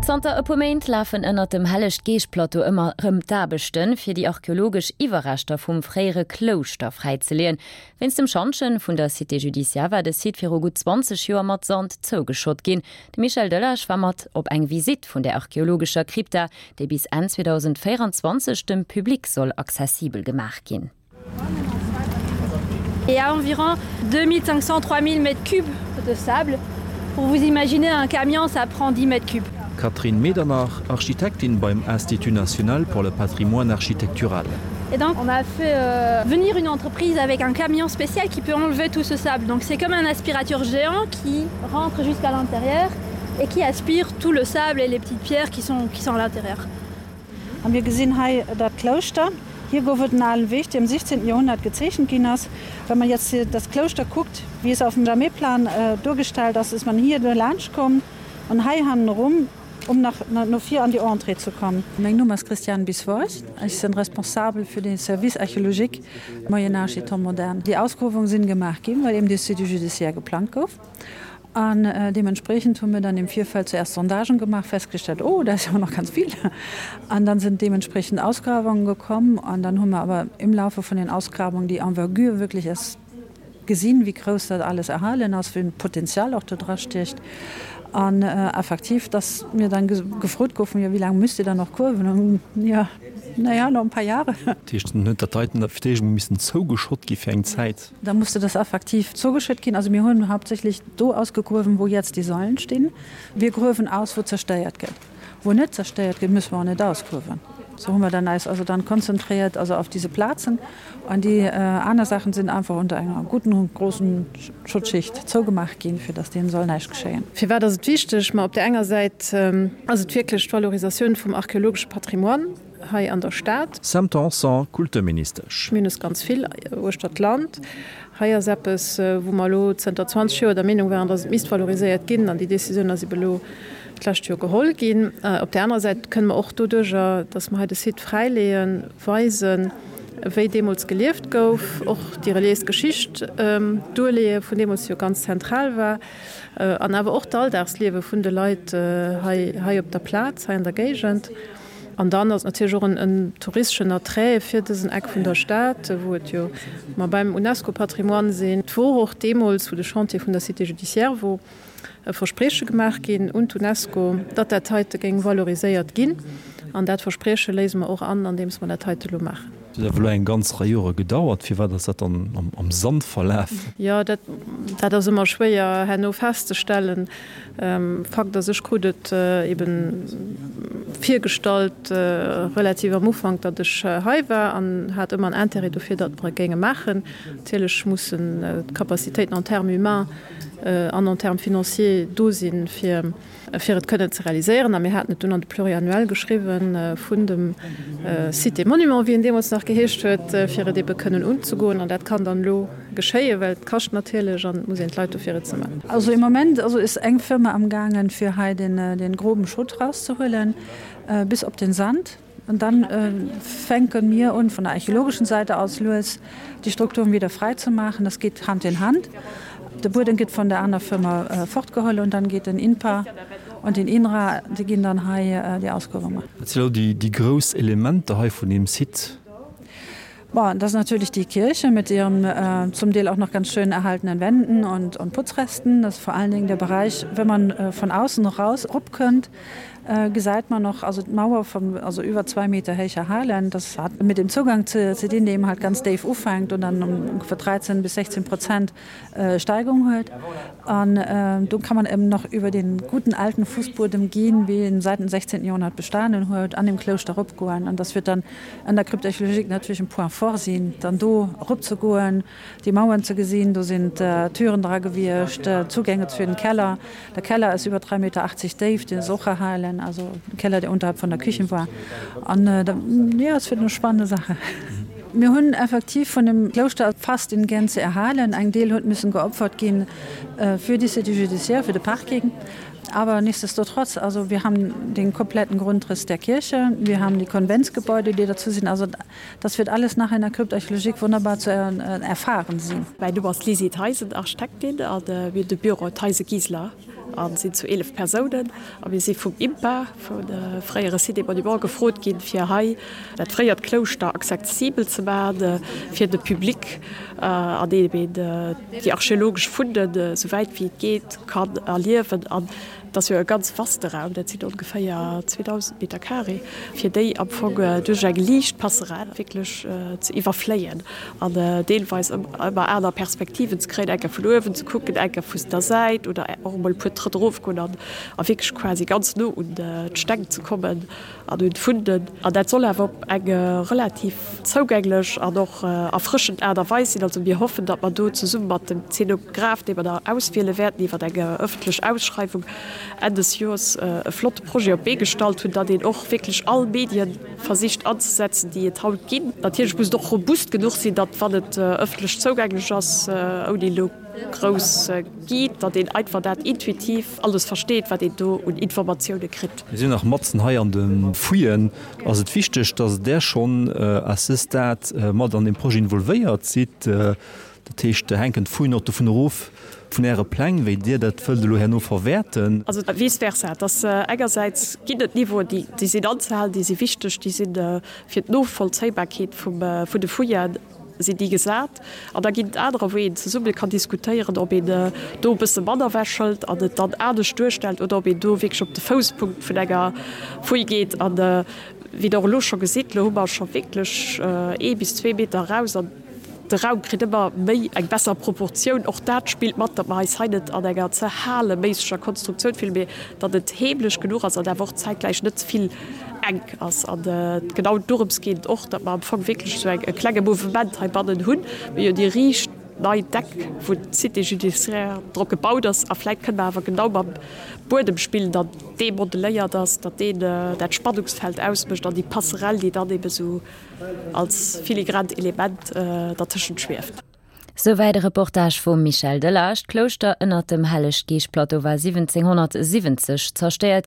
Zanter e puer Méint lafen ënnert dem Helleg-Geescht-Plateau ëmmer rëm d'Aarbechten, fir déi archeologesch Iwwerreschter vum fréiere Klouschter fräizeleeën. Wéinst dem Schantjen vun der Cité judiciaire war de Site viru gutt 20 Joer mat Sand zougeschott ginn. De Michel Delage war mat op eng Visitt vun där archeologescher Krypta, déi bis Enn 2024 dem Public soll accessibel gemaach ginn. Et à environ 2500 3000 mètres cubes de sable. Pour vous imaginer un camion, ça prend 10 mètres cubes. Catherine Medernach, Architektin beim Institut national pour le patrimoine architectural. Et donc on a fait euh, venir une entreprise avec un camion spécial qui peut enlever tout ce sable. Donc c'est comme un aspirateur géant qui rentre jusqu'à l'intérieur et qui aspire tout le sable et les petites pierres qui sont, qui sont à l'intérieur. A mir gesinn hei dat Klouschter. Hier gouf et en alen Weg, dee am 16. Joerhonnert gezeechent ginn ass. Wenn man jetzt das Klouschter kuckt, wie es auf dem Jamet-Plan duergestellt ass, ist man hier laanscht komm an hei hannerum, um nach no vir an die Entrée zu kommen. Mein Numm ass Christiane Bisvoort, ech sinn responsabel fir den Service archéologique Moyen Âge et Temps moderne. Déi Ausgruewung sinn gemaach ginn, well eben dee Site judiciaire geplangt gouf. An deementspreechend hu mir dann im Virfeld zuerst Sondagen gemacht, festgestellt, oh, da ist aber noch ganz viel. An dann sind deementsprechend Ausgrabungen gekommen. An dann hu mer awer im Laufe vun den Ausgrabungen déi Envergure wirklich erst gesinn, wéi grouss dat alles erhalen ass, wéi Potenzial och do dra stiecht. An effektiv, dass mir dann gefrot goufen, jo, wéi laang müsst Dir dann noch gruewen? Jo, na ja, noch ein paar Jahre. Dat heescht, dann huet dat heiten fir d'éischt emol missen zougeschott gi fir eng Zäit. Da musste das effektiv zougeschëtt ginn. Also mir hunn hauptsächlich do ausgegruewen, wou jetzt déi Sailen stinn. Wir gruewen aus, wou zerstéiert gëtt. Wou net zerstéiert gëtt, müsse mer och net ausgruewen. Sou hu mer dann eis also dann konzentriert also auf diese Plazen. An déi aner Saachen sinn einfach unter enger guten, großen Schuttschicht zougemaach ginn, fir dass deenen soll näischt geschéien. Firwat ass et wichteg? Ma op där enger Säit ass et wierklech d'Valorisatioun vum archeologesche Patrimoine. hei an der Stad. Sam Tanson, Kulturministesch. Mir hunn es ganz vill uechter d'Land. Hei ass eppes, wou mer elo zënter 20 Joer der Meenung waren, datt et misst valoriséiert ginn. An déi Décisioun ass ebe elo d'lescht Joer geholl ginn. Op där anerer Säit kënne mer och doduerjer, datt mer hei de Site fräileeën, weisen, wéi deemools gelieft gouf, och déi reliéis Geschicht duerleeë vun deemools, déi jo ganz zentral war, an awer och d'Alldagsliewe vun de Leit hei, hei op der Plaz, hei an der Géigend. An dann ass et natierlech och en touristeschen Attrait fir dësen Eck vun der Stad, wou et jo mer beim UNESCO-Patrimoine sinn. Et wor och deemools, wou de Chantier vun der Cité judiciaire wor, e Versprieche gemaach ginn un d'UNESCO, datt dat heite géing valoriséiert ginn. An dat Versprieche léise mer och an, andeems mer dat heite elo maachen. Dat huet awer elo eng ganz Rei Jore gedauert. Firwat ass dat dann am Sand verlaf? Jo, dat ass ëmmer schwéier herno festzestellen. Fakt ass, ech krut et eben virgestallt, relativ am Ufank, datt ech hei war an hat ëmmer en Intérêt dofir, datt mer et géinge maachen. Natierlech mussen d'Capacitéiten en termes humains an en termes financiers do sinn, fir fir et kënnen ze realiséieren. A mir haten et dunn an de Pluriannuel geschriwwen vun dem Site et Monuments, wéi en deemools nach geheescht huet, fir et ebe kënnen unzegoen. An dat kann dann elo geschéien, well et kascht natierlech an et muss een d'Leit dofir et ze maachen. Also im Moment also ist eng Firma am gaangen, fir hei den groben Schutt rauszehuelen bis op den Sand. Und dann fänken mir un von der archäologischen Seite aus lues die Strukturen wieder frei zu machen. Das geht Hand in Hand. De Buedem gëtt von der aner Firma fortgeholl und dann geht den INPA und den INRA, déi ginn dann hei déi Ausgruewung maachen. Wat sinn elo déi grouss Elementer hei vun deem Site? Bon, das ist natürlich die Kirche mit ihren zum Deel auch noch ganz schön erhaltenen Wänden und und Putzresten. Das ist vor allen Dingen der Bereich, wenn man von außen noch raus rupkönnt, gesäit man noch also d'Mauer vum also iwwer 2 Meter héicher Halen. Das hat mit dem Zugang ze ze dinn, dee eben halt ganz déif ufänkt und dann ungefähr 13 bis 16 Prozent Steigung huet. An do kann man eben noch über den guten alten Fußbuedem gehen, wéi en seit dem 16. Jahrhundert bestanen huet, an dem Klouschter eropgoen. An das wird dann an der Crypte archéologique natierlech en Point fort sinn, dann do eropzegoen, déi Mauern ze gesinn. Do sinn d'Türen dra gewiescht, Zugänge zu den Keller. Der Keller ass iwwer 3,80 Meter déif, deen ass och erhalen, also de Keller, dee unterhalb von der Küche war. An jo, es wird eine spannende Sache. Mir hunn effektiv vun dem Klouschter fast in Gänze erhalen. Eng Deel huet müssen geopfert ginn fir déi Cité judiciaire, fir de Parking. Aber nichtsdestotrotz, also wir haben den kompletten Grundriss der Kirche, wir haben die Konventsgebäude, déi dazu sinn. Also das wird alles nachher in der Crypte archéologique wunderbar zu erfahren sinn. Mäin Numm ass Lisi Theisen, Architektin a mir hunn de Büro Theisen Gieseler. a sinn zu 11 Persounen. A mir si vum IMPA, vum fréiere Site des Monuments, gefrot ginn, fir hei dat fréiert Klouschter accessibel ze maachen fir de Public, an deem een déi archeologesch Funden, esou wäit wéi et geet, kann erliewen. An et ass jo e ganz vaste Raum, dat sinn ongeféier 2.000 Meter carré, fir déi am Fong duerch eng liicht Passerelle wierklech ze iwwerfléien an deelweis ëmmer aner Perspektiven ze kréien, eng Kéier vun uewen ze kucken, eng Kéier vu der Säit oder och emol e puer Trëtt erofgoen an a wierklech quasi ganz no un d'Steng ze kommen an un d'Funden. An dat soll awer op eng relativ zougänglech an och erfrëschend Aart a Weis sinn. Also mir hoffen, datt mer do zesumme mat dem Zenograph, dee mer da auswiele wäerten iwwer eng ëffentlech Ausschreiwung Enn des Joers, e flotte Projet op d'Bee gestallt hunn, datt een och wierklech all Medien versicht anzesetzen, déi et haut ginn. Natierlech muss et och robust genuch sinn, datt wann et ëffentlech zougänglech ass, ouni elo grouss Guide, datt een einfach dat intuitiv alles versteet, wat een do un Informatioune kritt. Mir sinn nach matzen hei an de Fouillen. Ass et wichteg, datt Der schonn à ce stade mat an deem Projet involvéiert sidd? Dat heescht, hänken d'Fouillen och dovun erof, vun Äre Pläng, wéi Dir dat wëllt elo herno verwäerten? Also vice versa. Et ass engersäits ginn et Niveauen, déi sinn anzehalen, déi si wichteg, déi si fir d'Novollzéibarkeet vun de Fouillen sinn déi gesat. An da ginn et anerer, wou een zesumme kann diskutéieren, ob een do e bësse manner ewechhëlt an et dann anescht duerstellt oder ob een do wierklech op de Fousspunkt vun enger Fouille geet. An wéi Der och elo scho gesitt, elo hu mer scho wierklech ee bis zwee Meter eraus an de Raum kritt ëmmer méi eng besser Proportioun. Och dat spillt mat, datt mer eis hei net an enger ze haleméisseger Konstruktioun fillen, mee datt et heemlech genuch ass an awer och zäitgläich net ze vill enk ass. An genau dorëms geet et och, datt mer am Fong wierklech esou eng e klenge Mouvement heibannen hunn. Mir hunn déi riicht nei Deck, wou d'Cité judiciaire drop gebaut ass. A vläit kënne mer awer genau mam Buedem spillen, datt dee modeléiert ass, datt deen dat Spannungsfeld ausmécht an déi Passerelle, déi dann ebe sou als filigrant Element dertëschent schwieft. Souwäit e Reportage vum Michel Delage. D'Klouschter ënnert dem Helleg-Geescht-Plateau war 1770 zerstéiert.